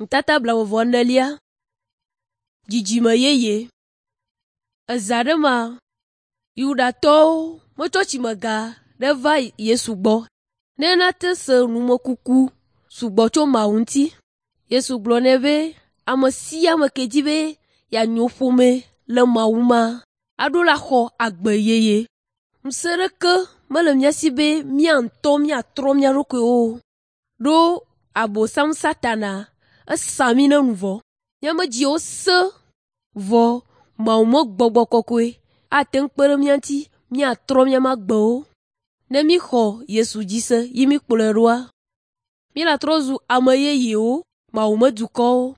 Nutata blaeve-vɔ-enelia. Dzidzime yeye. Eza ɖe mea, Yudatɔwo metsɔ tsimega ɖe va Yesu gbɔ ne nate se numekuku sugbɔ tso Mawu ŋuti. Yesu gblɔ nɛ be ame sia ame ke di be yeanyo ƒome le Mawu mea, aɖo la xɔ agbe yeye. Ŋusẽ ɖeke mele mía si be mía ŋutɔ míatrɔ mía ɖokuiwo o. Ɖo Abosam Satana esa mí ne nu vɔ. Míaƒe dziwo sẽ vɔ Mawu me Gbɔgbɔ Kɔkɔe ate ŋu kpe ɖe mía ŋuti míatrɔ míaƒe agbewo. Ne míxɔ Yesu dzi se ye míkplɔe ɖoa, míele trɔ zu ame yeyewo, Mawu me dukɔwo.